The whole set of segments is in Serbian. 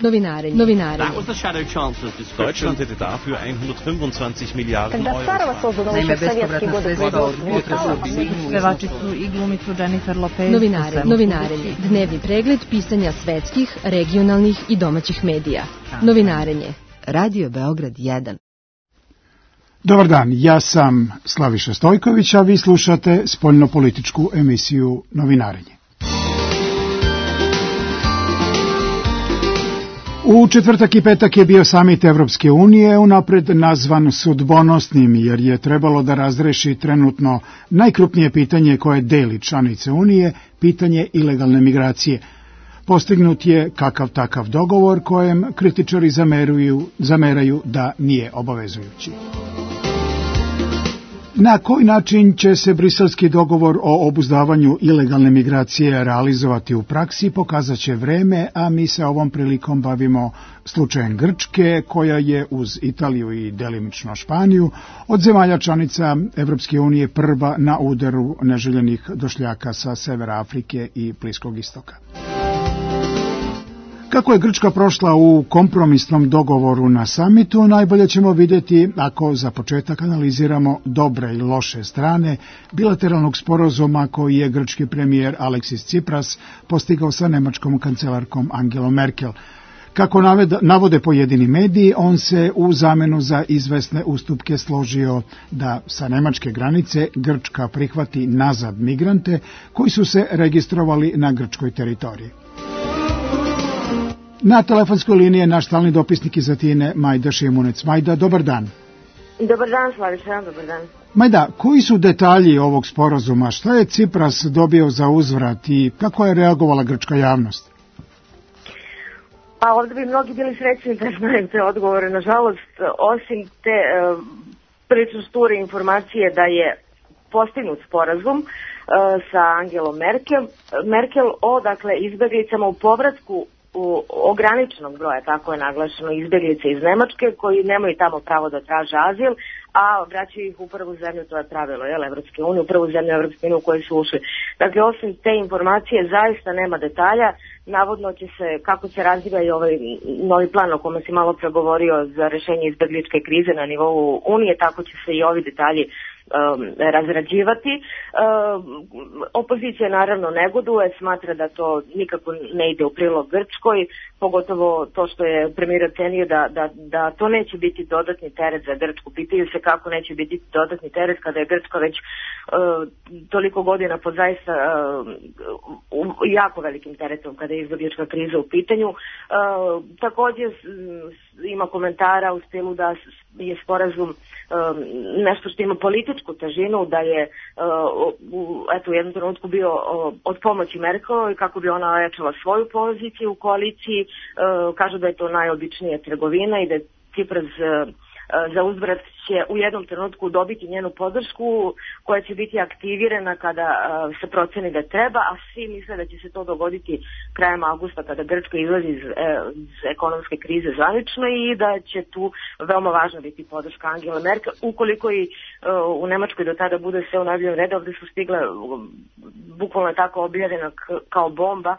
Novinarenje. That was the shadow chancellor's discussion. Deutschland hätte dafür 125 Milijarden Euro. Naime, bespovratna sredstva od potresa pevačicu i glumicu Jennifer Lopez. Novinarenje. Dnevni pregled pisanja svetskih, regionalnih i domaćih medija. Novinarenje. Radio Beograd 1. Dobar dan, ja sam Slaviša Stojković, a vi slušate spoljnopolitičku emisiju Novinarenje. U četvrtak i petak je bio samit Evropske unije, unapred nazvan sudbonosnim, jer je trebalo da razreši trenutno najkrupnije pitanje koje deli članice Unije, pitanje ilegalne migracije. Postignut je kakav takav dogovor kojem kritičari zameraju da nije obavezujući. Na koji način će se briselski dogovor o obuzdavanju ilegalne migracije realizovati u praksi, pokazat će vreme, a mi se ovom prilikom bavimo slučajem Grčke, koja je uz Italiju i delimično Španiju od zemalja članica Evropske unije prva na udaru neželjenih došljaka sa severa Afrike i Bliskog istoka. Kako je Grčka prošla u kompromisnom dogovoru na samitu, najbolje ćemo vidjeti ako za početak analiziramo dobre i loše strane bilateralnog sporazuma koji je grčki premijer Aleksis Tsipras postigao sa nemačkom kancelarkom Angelom Merkel. Kako navode pojedini mediji, on se u zamenu za izvesne ustupke složio da sa nemačke granice Grčka prihvati nazad migrante koji su se registrovali na grčkoj teritoriji. Na telefonskoj liniji je naš stalni dopisnik iz Atine, Majda Šimunec. Majda, dobar dan. Dobar dan, Slaviša, dobar dan. Majda, koji su detalji ovog sporazuma? Šta je Tsipras dobio za uzvrat i kako je reagovala grčka javnost? Pa ovdje bi mnogi bili srećni da znaju te odgovore. Nažalost, osim te prilično šture informacije da je postignut sporazum sa Angelom Merkel o izbjeglicama u povratku u ograničenog broja, tako je naglašeno, izbjeglice iz Nemačke koji nemaju tamo pravo da traže azil, a vraćaju ih u prvu zemlju, to je pravilo, Evropske unije, u prvu zemlju Evropske unije u kojoj su ušli. Dakle, osim te informacije zaista nema detalja, navodno će se, kako se razvija i ovaj novi plan o kome si malo pregovorio za rešenje izbjegličke krize na nivou Unije, tako će se i ovi detalji razrađivati. Opozicija naravno negoduje, smatra da to nikako ne ide u prilog Grčkoj, pogotovo to što je premijer ocenio da to neće biti dodatni teret za Grčku. Pitaju se kako neće biti dodatni teret kada je Grčka već toliko godina pod zaista jako velikim teretom kada je izbjeglička kriza u pitanju. Također ima komentara u stilu da je sporazum nešto što ima političku težinu, da je u jednom trenutku bio od pomoći Merkelovoj kako bi ona ojačala svoju poziciju u koaliciji. Kažu da je to najobičnija trgovina i da je Tsipras za uzvrat će u jednom trenutku dobiti njenu podršku koja će biti aktivirana kada se proceni da treba, a svi misle da će se to dogoditi krajem avgusta kada Grčka izlazi iz ekonomske krize zvanično i da će tu veoma važno biti podrška Angela Merkel. Ukoliko i u Nemačkoj do tada bude sve u najboljem redu, ovdje su stigle bukvalno tako objavljena kao bomba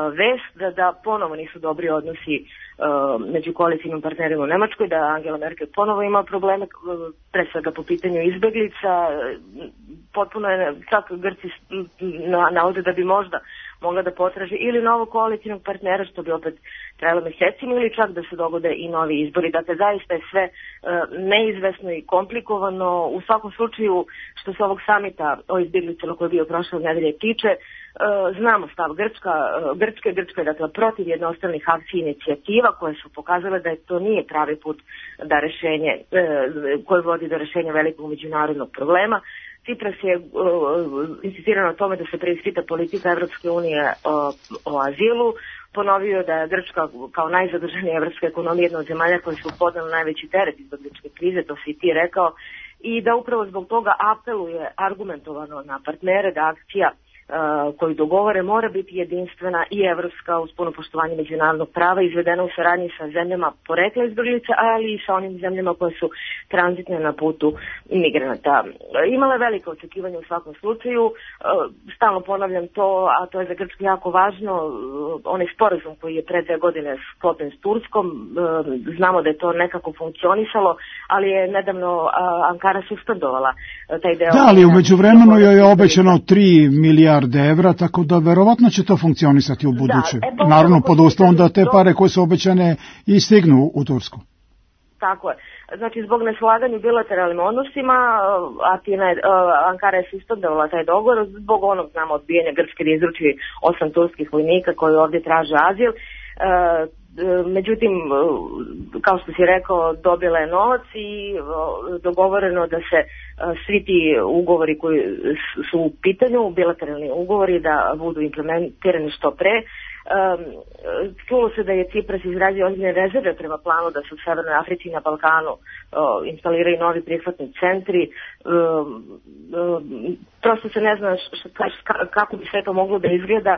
vest da ponovo nisu dobri odnosi među koalicijnim partnerima u Nemačkoj, da Angela Merkel ponovo ima probleme, pre svega po pitanju izbeglica. Potpuno je, čak Grci navode da bi možda mogla da potraži ili novog koalicijnog partnera, što bi opet trajalo mesecima, ili čak da se dogode i novi izbori. Dakle, zaista je sve neizvesno i komplikovano. U svakom slučaju, što se ovog samita o izbjeglicama koji je bio prošle nedelje tiče, znamo stav Grčke je dakle protiv jednostranih akcija i inicijativa koje su pokazale da to nije pravi put da rešenje, koje vodi do rešenja velikog međunarodnog problema. Tsipras je insistirao na tome da se preispita politika Evropske unije o azilu, ponovio da je Grčka kao najzaduženija evropska ekonomija jedna od zemalja koje su podnele najveći teret izbjegličke krize, to si i ti rekao, i da upravo zbog toga apeluje argumentovano na partnere da akcija koju dogovore mora biti jedinstvena i evropska uz puno poštovanje međunarodnog prava, izvedena u saradnji sa zemljama porekla izbjeglica, ali i sa onim zemljama koje su tranzitne na putu migranata. Imala je velike očekivanje u svakom slučaju, stalno ponavljam to, a to je za Grčku jako važno, onaj sporazum koji je pre 2 godine sklopljen s Turskom, znamo da je to nekako funkcionisalo, ali je nedavno Ankara suspendovala taj deo. Da, ali u međuvremenu joj je obećano 3 milijarde evra, tako da verovatno će to funkcionisati u buduće. Naravno, pod uslovom da te pare koje su obećane i stignu u Tursku. Tako je. Znači, zbog neslaganja u bilateralnim odnosima, Ankara je suspendovala taj dogovor, zbog onog, znamo, odbijanja Grčke da izruči 8 turskih vojnika koji ovdje traže azil. Međutim, kao što si rekao, dobila je novac i dogovoreno da se svi ti ugovori koji su u pitanju, bilateralni ugovori, da budu implementirani što pre. Čulo se da je Cipras izrazio ozbiljne rezerve prema planu da se u Severnoj Africi i na Balkanu instaliraju novi prihvatni centri. Prosto se ne zna kako bi sve to moglo da izgleda.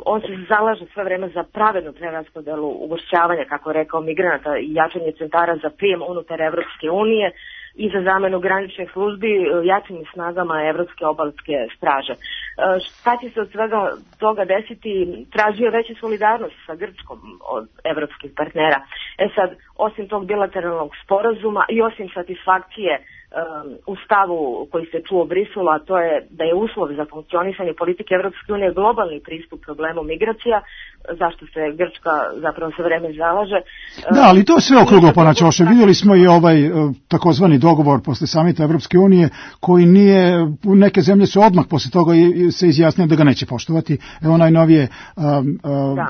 On se zalaže sve vreme za pravednu preraspodelu ugošćavanja, kako je rekao, migranata i jačanje centara za prijem unutar Evropske unije i za zamenu graničnih službi jačim snagama Evropske obalske straže. Šta će se od svega toga desiti? Tražio veću solidarnost sa Grčkom od evropskih partnera. Sad, osim tog bilateralnog sporazuma i osim satisfakcije u stavu koji se čuo u Briselu, a to je da je uslov za funkcionisanje politike Evropske unije globalni pristup problemu migracija, zašto se Grčka zapravo sve vreme zalaže. Da, ali to je sve okruglo ponačoše. Vidjeli smo i ovaj takozvani dogovor posle samita Evropske unije koji nije, neke zemlje su odmah posle toga se izjasnile da ga neće poštovati. Evo najnovije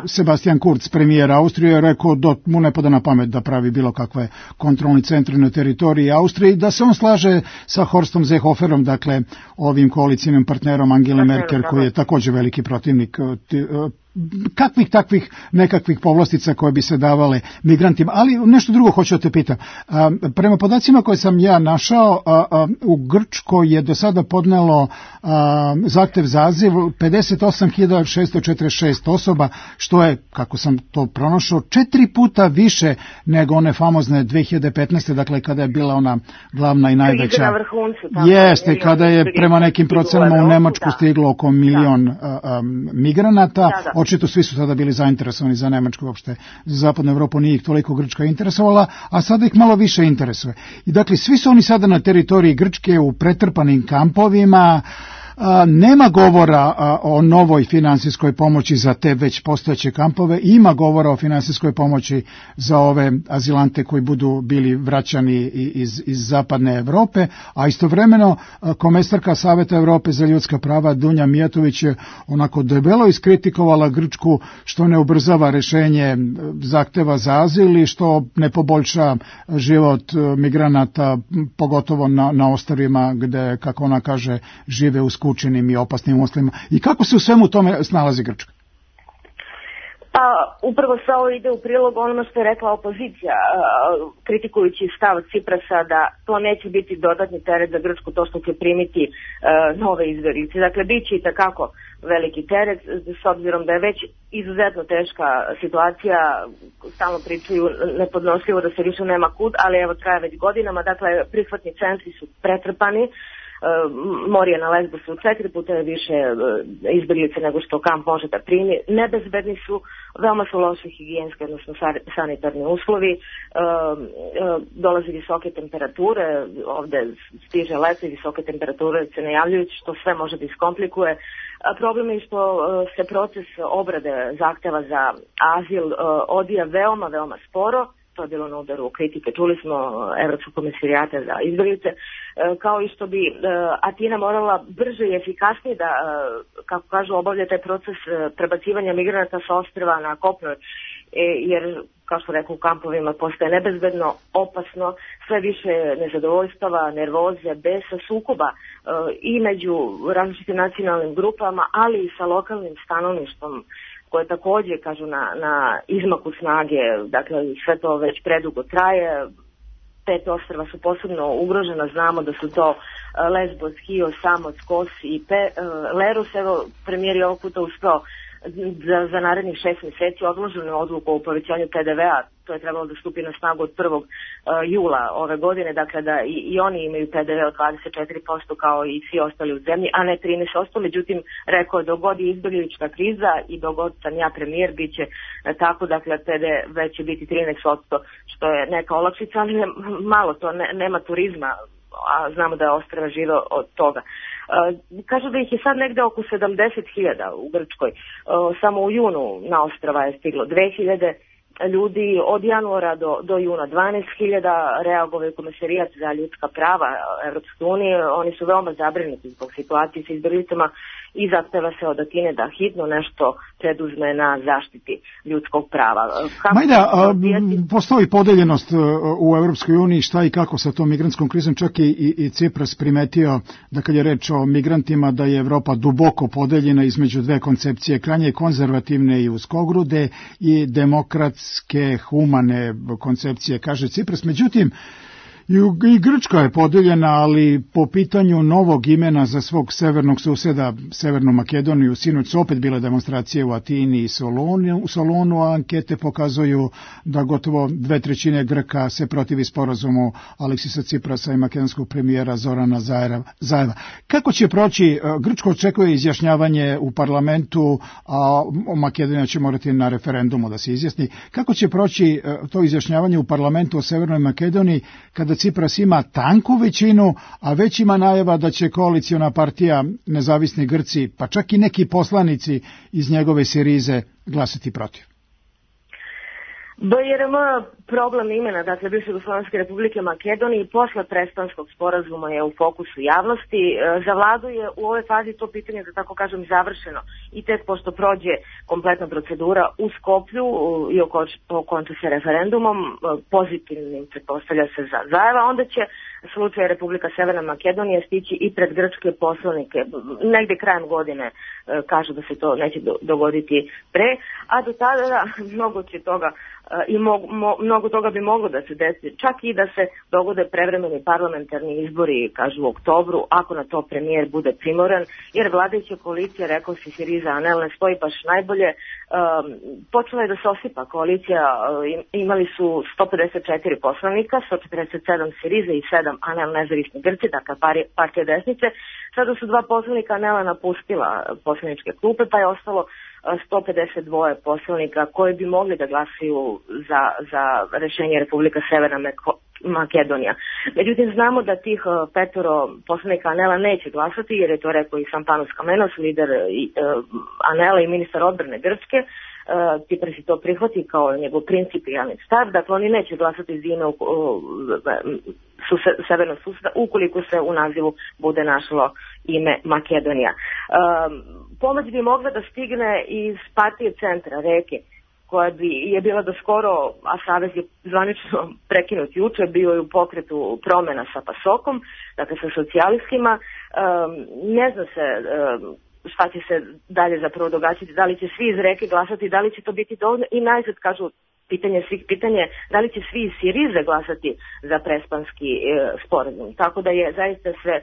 Sebastian Kurz, premijer Austrije, je rekao da mu ne pada na pamet da pravi bilo kakve kontrolni centri na teritoriji Austrije i da se on slaže sa Horstom Seehoferom, dakle ovim koalicijnim partnerom Angele Merkel, koji je također veliki protivnik kakvih takvih nekakvih povlastica koje bi se davale migrantima. Ali nešto drugo hoću da te pitam. Prema podacima koje sam ja našao, u Grčkoj je do sada podnelo zahtev za azil 58.646 osoba, što je, kako sam to pronašao, 4 puta više nego one famozne 2015. Dakle, kada je bila ona glavna i najveća. Jeste, kada je prema nekim procenama u Nemačku stiglo oko 1 milion migranata. Očito svi su tada bili zainteresovani za Nemačku, uopšte za zapadnu Evropu nije ih toliko Grčka interesovala, a sada ih malo više interesuje. I dakle, svi su oni sada na teritoriji Grčke u pretrpanim kampovima. Nema govora o novoj finansijskoj pomoći za te već postojeće kampove, ima govora o finansijskoj pomoći za ove azilante koji budu bili vraćani iz zapadne Evrope, a istovremeno komesarka Saveta Evrope za ljudska prava Dunja Mijatović je onako debelo iskritikovala Grčku što ne ubrzava rešenje zahteva za azil i što ne poboljša život migranata, pogotovo na ostrvima gde, kako ona kaže, žive u skučenim i opasnim uslovima. I kako se u svemu tome snalazi Grčka? Pa upravo sve ovo ide u prilog onome što je rekla opozicija, kritikujući stav Ciprasa da to neće biti dodatni teret za Grčku, to što će primiti nove izbjeglice. Dakle, bit će i takako veliki teret, s obzirom da je već izuzetno teška situacija, stalno pričaju nepodnošljivo da se više nema kud, ali evo traje već godinama, dakle prihvatni centri su pretrpani. Morije na Lesbosu 4 puta je više izbjeglice nego što kamp može da primi. Nebezbedni su, veoma su loše higijenske, odnosno sanitarni uslovi, dolaze visoke temperature, ovde stiže leto i visoke temperature se najavljuju, što sve može da iskomplikuje. Problem je što se proces obrade zahteva za azil odvija veoma sporo. To je bilo na udaru kritike. Čuli smo Evropskog komesarijata za izbjeglice, kao i što bi Atina morala brže i efikasnije da, kako kažu, obavlja taj proces prebacivanja migranata sa ostrva na kopno, jer, kao što rekao, u kampovima postaje nebezbedno, opasno, sve više nezadovoljstava, nervoze, besa, sukoba i među različitim nacionalnim grupama, ali i sa lokalnim stanovništvom, koje također, kažu, na izmaku snage, dakle sve to već predugo traje, 5 ostrva su posebno ugrožena, znamo da su to Lesbos, Chios, Samos, Kos i Leros. Evo, premijer je ovog puta uspeo za narednih 6 mjeseci odloženu odluku o povećanju PDV-a, to je trebalo da stupi na snagu od 1. jula ove godine, dakle da i oni imaju PDV od 24% kao i svi ostali u zemlji, a ne 13%, međutim rekao je dok god je izbjeglička kriza i dok god sam ja premijer bit će tako, dakle PDV već će biti 13%, što je neka olakšica, ali malo to, nema turizma, a znamo da je ostrva žive od toga. Kažu da ih je sad negde oko 70.000 u Grčkoj. Samo u junu na ostrva je stiglo 2.000 ljudi, od januara do juna 12.000, reagovao je Komesarijat za ljudska prava Evropske unije. Oni su veoma zabrinuti zbog situacije sa izbjeglicama i zahteva se od Atine da hitno nešto preduzme na zaštiti ljudskog prava. Majda, postoji podeljenost u Evropskoj uniji šta i kako sa tom migrantskom krizom, čak i Cipras primetio da kad je reč o migrantima da je Evropa duboko podeljena između dve koncepcije, krajnje konzervativne i uskogrude i demokratske, humane koncepcije, kaže Cipras. Međutim, i Grčka je podeljena, ali po pitanju novog imena za svog severnog suseda, Severnu Makedoniju, sinoć su opet bile demonstracije u Atini i Solunu, a ankete pokazuju da gotovo 2/3 Grka se protivi sporazumu Aleksisa Ciprasa i makedonskog premijera Zorana Zajeva. Kako će proći? Grčko očekuje izjašnjavanje u parlamentu, a Makedonija će morati na referendumu da se izjasni. Kako će proći to izjašnjavanje u parlamentu o Severnoj Makedoniji kada Cipras ima tanku većinu, a već ima najava da će koaliciona partija Nezavisni Grci, pa čak i neki poslanici iz njegove Sirize glasati protiv? BRM problem imena, dakle bivše Jugoslovenske Republike Makedonije posle Prespanskog sporazuma je u fokusu javnosti. Za vladu je u ovoj fazi to pitanje, da tako kažem, završeno i tek pošto prođe kompletna procedura u Skoplju i okonča se referendumom, pozitivnim pretpostavlja se za Zajeva, onda će slučaj Republika Severna Makedonija stići i pred grčke poslanike. Negde krajem godine kažu da se to neće dogoditi pre, a do tada mnogo će toga i mnogo toga bi moglo da se desi, čak i da se dogode prevremeni parlamentarni izbori, kažu u oktobru, ako na to premijer bude primoran, jer vladajuća koalicija, rekao si Siriza, Anel ne stoji baš najbolje. Počela je da se osipa koalicija, imali su 154 poslanika, 147 Siriza i 7 Anel nezavisni Grci, dakle partija desnice. Sada su 2 poslanika Anela napustila poslaničke klupe, pa je ostalo 152 poslanika koji bi mogli da glasaju za rešenje Republika Severna Makedonija. Međutim, znamo da tih 5 poslanika Anela neće glasati, jer je to rekao i sam Panos Kamenos, lider Anela i ministar odbrane Grčke. Cipras si to prihvati kao njegov principijalni stav, dakle oni neće glasati za ime severnog suseda ukoliko se u nazivu bude našlo ime Makedonija. Pomoć bi mogla da stigne iz partije centra Reke, koja je bila do skoro, a savez je zvanično prekinut juče, bio je u pokretu promena sa PASOK-om, dakle sa socijalistima. Ne zna se šta će se dalje zapravo događati, da li će svi iz Reke glasati, da li će to biti dovoljno i najzad kažu pitanje svih pitanje, da li će svi iz Sirize glasati za Prespanski sporazum. Tako da je zaista sve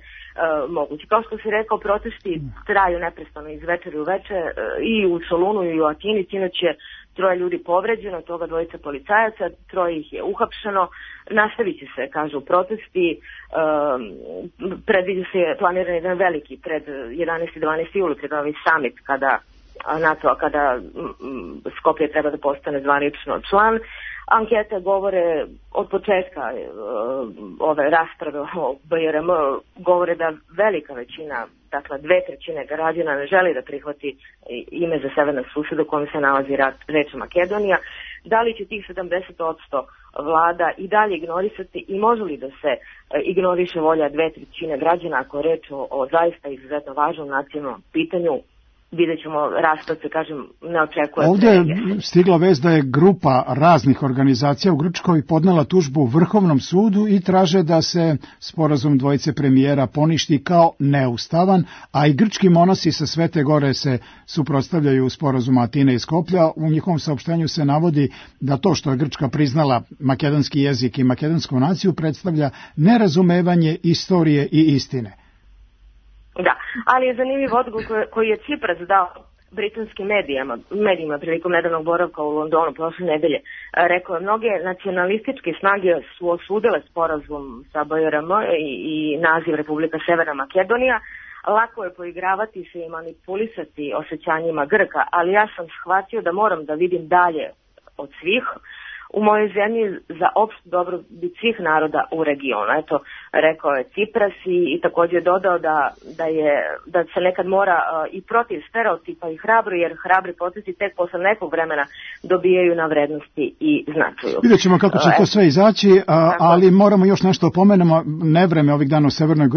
moguće. Kao što si rekao, protesti traju neprestano iz večeri u večer i u Solunu i u Atini. Sinoć je 3 ljudi povređeno, toga 2 policajaca, 3 ih je uhapšeno. Nastavit će se, kažu, protesti. Predviđa se planiran jedan veliki pred 11. i 12. juli, pred ovaj summit kada Skopje treba da postane zvanično član. Ankete govore od početka ove rasprave o BRM, govore da velika većina, dakle 2/3 građana ne želi da prihvati ime za severnog suseda u kojem se nalazi reč Makedonija. Da li će tih 70% vlada i dalje ignorisati i može li da se ignoriše volja 2/3 građana ako je reč o zaista izuzetno važnom nacionalnom pitanju vidjet ćemo raspad se, kažem, ne očekuje. Ovdje je stigla vest da je grupa raznih organizacija u Grčkoj podnela tužbu Vrhovnom sudu i traže da se sporazum dvojice premijera poništi kao neustavan, a i grčki monasi sa Svete Gore se suprotstavljaju sporazumu Atine i Skoplja. U njihovom saopštenju se navodi da to što je Grčka priznala makedonski jezik i makedonsku naciju predstavlja nerazumevanje istorije i istine. Da, ali je zanimljiv odgovor koji je Cipras dao britanskim medijima prilikom nedavnog boravka u Londonu prošle nedelje. Rekao je, mnoge nacionalističke snage su osudile sporazum sa BRM i naziv Republika Severna Makedonija. Lako je poigravati se i manipulisati osjećanjima Grka, ali ja sam shvatio da moram da vidim dalje od svih u mojoj zemlji za opšte dobrobit svih naroda u regionu. Eto, rekao je Cipras i također dodao da se nekad mora i protiv stereotipa i hrabro, jer hrabri procesi tek posle nekog vremena dobijaju na vrednosti i značaju. Vidjet ćemo kako će to sve izaći, ali moramo još nešto pomenemo. Nevreme ovih dana u Severnoj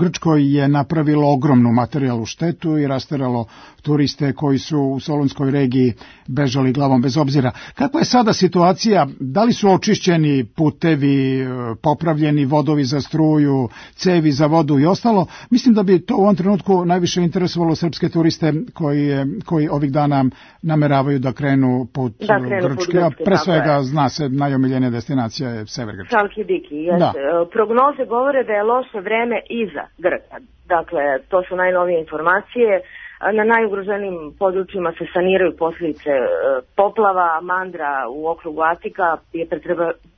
Grčkoj je napravilo ogromnu materijalnu štetu i rasteralo turiste koji su u Solunskoj regiji bežali glavom bez obzira. Kakva je sada situacija? Da li su očišćeni putevi, popravljeni vodovi za struju, cevi za vodu i ostalo? Mislim da bi to u ovom trenutku najviše interesovalo srpske turiste koji ovih dana nameravaju da krenu put Grčke, a pre svega zna se najomiljenija destinacija je sever Grčke. Chalkidiki, jeste. Prognoze govore da je loše vreme iza Grka. Dakle, to su najnovije informacije. Na najugroženijim područjima se saniraju posljedice poplava. Mandra u okrugu Atika je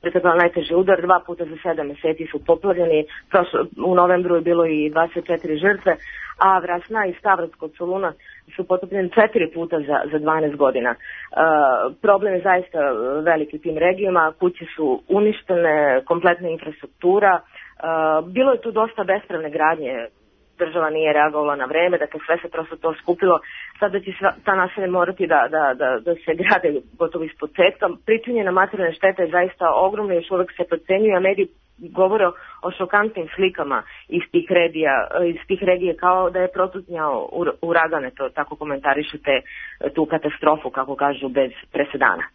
pretrpela najteži udar, 2 puta za 7 meseci su poplavljeni, u novembru je bilo i 24 žrtve, a Vrasna i Stavros kod Soluna su potopljeni 4 puta za 12 godina. Problem je zaista veliki u tim regijama, kuće su uništene, kompletna infrastruktura, bilo je tu dosta bespravne gradnje, država nije reagovala na vreme, dakle sve se prosto to skupilo. Sada će ta naselja morati da se grade gotovo ispod početka. Pričinjena materijalna šteta je zaista ogromna, još uvek se procenjuje, a mediji govore o šokantnim slikama iz tih regije kao da je protutnjao uragane, to tako komentarišete tu katastrofu, kako kažu, bez presedana.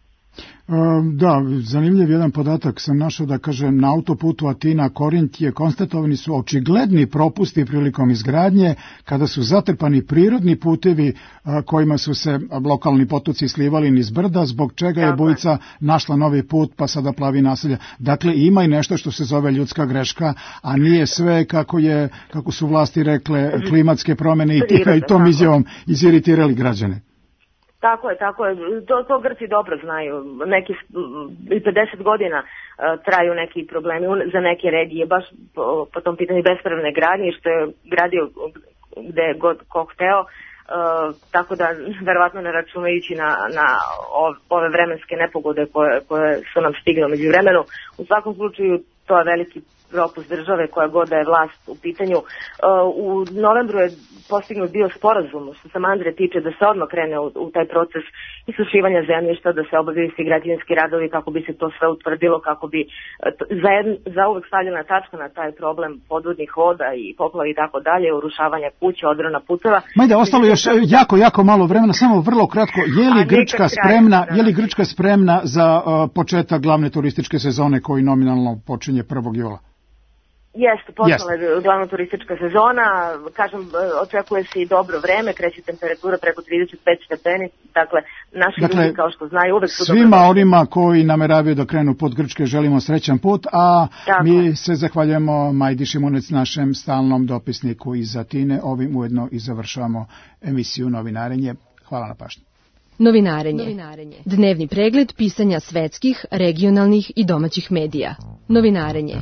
Da, zanimljiv jedan podatak sam našao da kaže na autoputu Atina-Korint konstatovani su očigledni propusti prilikom izgradnje kada su zatrpani prirodni putevi kojima su se lokalni potoci slivali niz brda, zbog čega je bujica našla novi put pa sada plavi naselja. Dakle, ima i nešto što se zove ljudska greška, a nije sve kako su vlasti rekle klimatske promjene i tom izjavom iziritirali građane. Tako je. To Grci dobro znaju. Neki 50 godina traju neki problemi za neke regije, baš po tom pitanju bespravne gradnje, što je gradio gde je god ko hteo, tako da verovatno ne računajući na ove vremenske nepogode koje su nam stigle među vremenu. U svakom slučaju to je veliki propust države koja god da je vlast u pitanju. U novembru je postignut bio sporazum što se Mandre tiče da se odmah krene u taj proces isušivanja zemljišta, da se obavljaju svi građevinski radovi kako bi se to sve utvrdilo, kako bi za uvek stavljena tačka na taj problem podvodnih voda i poplava i tako dalje, urušavanja kuća, odrona puteva. Majde, ostalo još jako malo vremena, samo vrlo kratko. Je li Grčka spremna za početak glavne turističke sezone koji nominalno počinje 1. jula? Jeste, počela je glavna turistička sezona, kažem, očekuje se i dobro vreme, kreće temperatura preko 35 stepeni, dakle, naši ljudi, kao što znaju, uvek su svima onima koji nameravaju da krenu put Grčke želimo srećan put, a mi se zahvaljujemo Majdi Šimunec, našem stalnom dopisniku iz Atine. Ovim ujedno i završavamo emisiju Novinarenje. Hvala na pažnji. Novinarenje. Dnevni pregled pisanja svetskih, regionalnih i domaćih medija. Novinarenje.